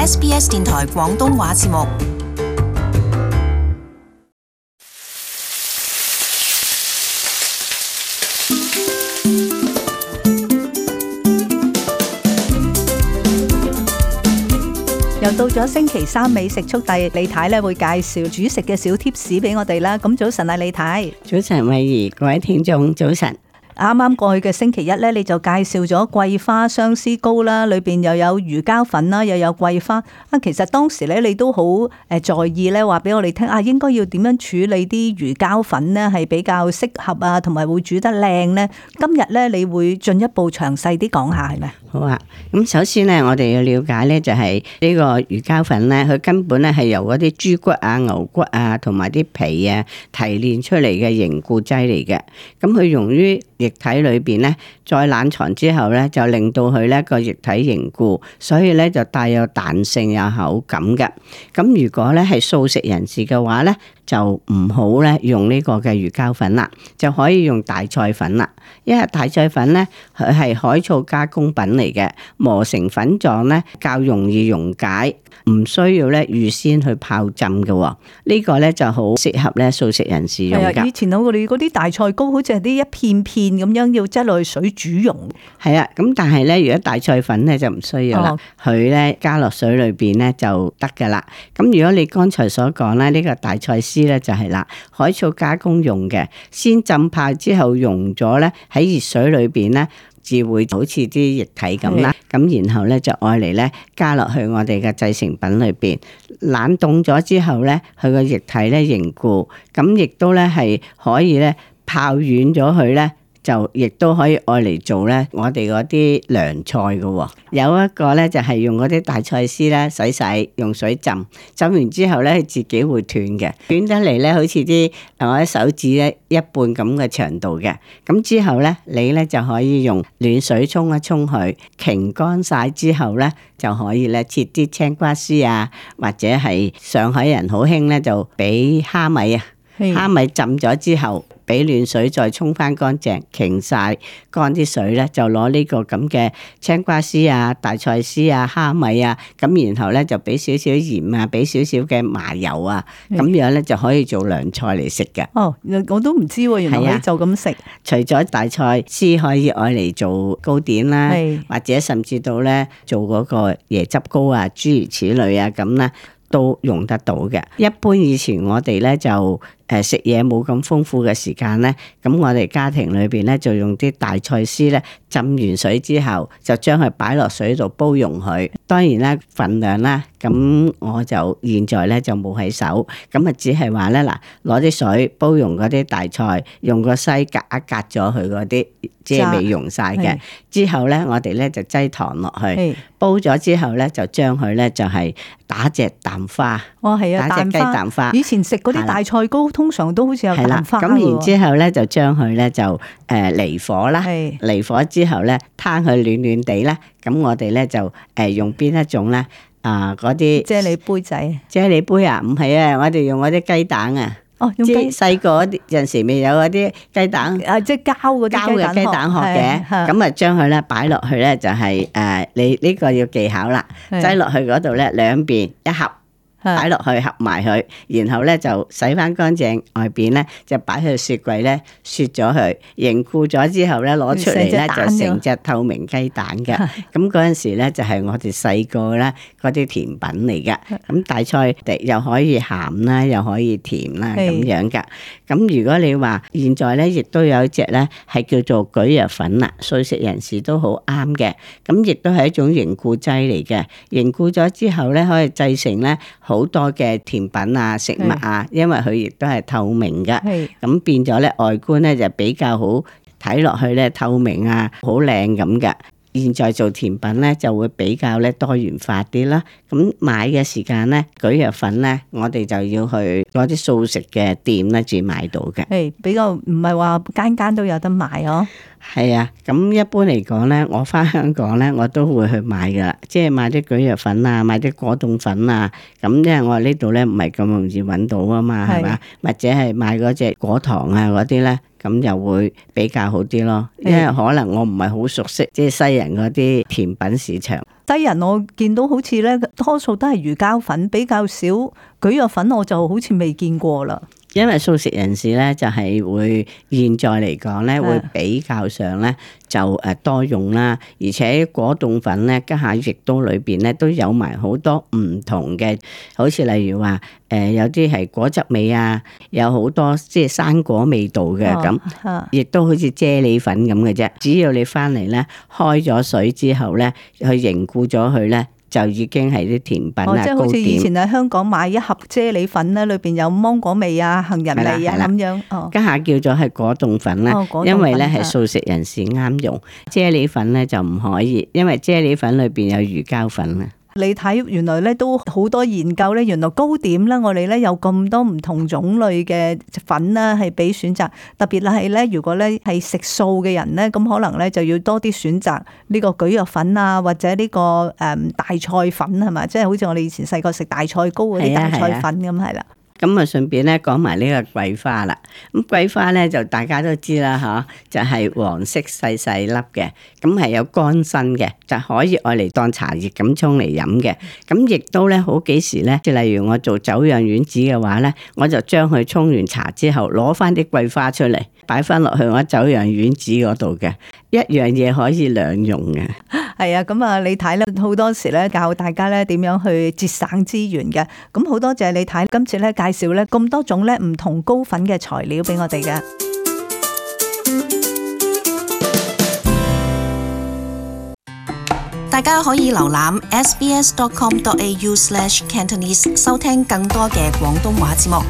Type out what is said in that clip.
SBS 電台廣東話節目。又到咗星期三美食速遞，李太咧會介紹煮食嘅小貼士俾我哋啦。咁早晨啊，李太。早晨，慧怡，各位聽眾，早晨。啱啱過去嘅星期一咧，你就介紹咗桂花相思糕啦，裏邊又有魚膠粉啦，又有桂花啊。其實當時咧，你都好在意咧，話俾我哋聽啊，應該要點樣處理啲魚膠粉呢？係比較適合啊，同埋會煮得靚呢。今日咧，你會進一步詳細啲講下係咪？好啊，咁首先咧，我哋要了解咧，就係呢個魚膠粉咧，佢根本咧係由嗰啲豬骨啊、牛骨啊，同埋啲皮啊提煉出嚟嘅凝固劑嚟嘅。咁佢用於液體裏邊咧，再冷藏之後咧，就令到佢咧個液體凝固，所以咧就帶有彈性、有口感嘅。咁如果咧係素食人士嘅話咧，就唔好咧用呢個嘅魚膠粉啦，就可以用大菜粉啦。因為大菜粉咧佢係海藻加工品嚟嘅，磨成粉狀咧較容易溶解，唔需要咧預先去泡浸嘅。呢個咧就好適合咧素食人士用㗎。以前我哋嗰啲大菜糕好似係啲一片片咁樣，要擠落去水煮溶。係啊，咁但係咧，如果大菜粉咧就唔需要啦，佢咧加落水裏邊咧就得噶啦。咁如果你剛才所講咧，呢個大菜絲咧就係啦，海藻加工用嘅，先浸泡之後溶咗咧，喺熱水裏邊咧，至會好似啲液體咁啦。咁然後咧就愛嚟咧加落去我哋嘅製成品裏邊，冷凍咗之後咧，佢個液體咧凝固，咁亦都咧係可以咧泡軟咗佢咧。就亦都可以愛嚟做咧，我哋嗰啲涼菜嘅。有一個咧就係用嗰啲大菜絲咧洗，用水浸完之後咧，自己會斷嘅，斷得嚟咧好似啲我啲手指咧一半咁嘅長度嘅。咁之後咧，你咧就可以用暖水沖一沖佢，擎乾晒之後咧，就可以咧切啲青瓜絲啊，或者係上海人好興咧就俾蝦米啊，蝦米浸咗之後。俾暖水再沖翻乾淨，擎晒乾啲水咧，就攞呢個咁嘅青瓜絲啊、大菜絲啊、蝦米啊，咁然後咧就俾少少鹽啊，俾少少嘅麻油啊，咁樣咧就可以做涼菜嚟食嘅。哦，我都唔知喎，原來就咁食。除咗大菜絲可以愛嚟做糕點啦，或者甚至到咧做嗰個椰汁糕啊，諸如此類啊，咁咧都用得到嘅。一般以前我哋咧就食嘢冇咁豐富嘅時間咧，咁我哋家庭裏邊咧就用啲大菜絲咧浸完水之後，就將佢擺落水度煲溶佢。當然啦，份量啦，咁我就現在咧就冇喺手，咁啊只係話咧嗱，攞啲水煲溶嗰啲大菜，用個篩隔一隔咗佢嗰啲即係未溶晒嘅。之後咧，我哋咧就擠糖落去，煲咗之後咧就將佢咧就係打隻蛋花。哦，係啊，打隻雞蛋花。以前食嗰啲大菜糕通常都好似有蛋花。咁然之後咧就將佢咧就離火啦，離火之後咧攤佢暖暖地咧，咁我哋咧就用邊一種咧嗰啲啫喱杯仔。啫喱杯啊？唔係啊，我哋用嗰啲雞蛋啊。哦，用雞細個嗰陣時未有嗰啲雞蛋即係膠嗰啲雞蛋殼嘅，咁啊將佢咧擺落去咧就係你呢個要技巧啦，擠落去嗰度咧兩邊一合。擺落去合埋佢，然後咧就洗翻乾淨，外邊咧就擺去雪櫃咧雪咗佢，凝固咗之後咧攞出嚟咧就成隻透明雞蛋嘅。咁嗰陣時咧就係我哋細個咧嗰啲甜品嚟嘅。咁大菜又可以鹹啦，又可以甜啦咁樣噶。咁如果你話現在咧亦都有一隻咧係叫做蒟蒻粉啦，素食人士都好啱嘅。咁亦都係一種凝固劑嚟嘅，凝固咗之後咧可以製成咧好多嘅甜品啊、食物啊，因為佢亦都係透明嘅，咁變咗咧外觀咧就比較好睇落去咧透明啊，好靚咁嘅。現在做甜品咧就會比較咧多元化啲啦。咁買嘅時間咧，蒟蒻粉咧，我哋就要去嗰啲素食嘅店咧至買到嘅。係比較唔係話間間都有得賣哦。係啊，咁一般嚟講咧，我翻香港咧，我都會去買噶啦，即係買啲蒟蒻粉啊，買啲果凍粉啊。咁因為我呢度咧唔係咁容易揾到啊嘛，係嘛？或者係買嗰隻果糖啊嗰啲咧。咁又會比較好啲咯，因為可能我唔係好熟悉即係西人嗰啲甜品市場。西人我見到好似咧，多數都係魚膠粉，比較少蒟蒻粉，我就好似未見過啦。因為素食人士咧，就係會現在嚟講咧，會比較上咧就誒多用啦，而且果凍粉咧，家下亦都裏邊咧都有埋好多唔同嘅，好似例如話有啲係果汁味啊，有好多即係生果味道嘅咁，亦都好似啫喱粉咁嘅啫。只要你翻嚟咧，開咗水之後咧，去凝固咗佢咧，就已經係啲甜品啊，即係好似以前喺香港買一盒啫喱粉咧，裏邊有芒果味啊、杏仁味啊咁樣。家下叫做係果凍粉啦，因為咧係素食人士啱用。啫喱粉咧就唔可以，因為啫喱粉裏邊有魚膠粉啊。你睇原來咧都好多研究咧，原來糕點咧我哋咧有咁多唔同種類嘅粉啦，係俾選擇。特別係咧，如果咧係食素嘅人咧，咁可能咧就要多啲選擇呢個蒟蒻粉啊，或者呢個大菜粉係嘛，即係好似我哋以前細個食大菜糕嗰啲大菜粉咁係啦。咁啊，順便咧講埋呢個桂花啦。咁桂花咧就大家都知啦，嚇，就係黃色細細粒嘅，咁係有乾身嘅，就可以愛嚟當茶葉咁沖嚟飲嘅。咁亦都咧好幾時咧，即係例如我做酒釀丸子嘅話咧，我就將佢沖完茶之後，攞翻啲桂花出嚟，擺翻落去我酒釀丸子嗰度嘅，一樣嘢可以兩用嘅。係啊，咁啊，你睇咧好多時咧教大家咧點樣去節省資源嘅。咁好多謝你睇今次咧介紹咧咁多種咧唔同糕粉嘅材料俾我哋嘅。大家可以瀏覽 sbs.com.au/Cantonese 收聽更多嘅廣東話節目。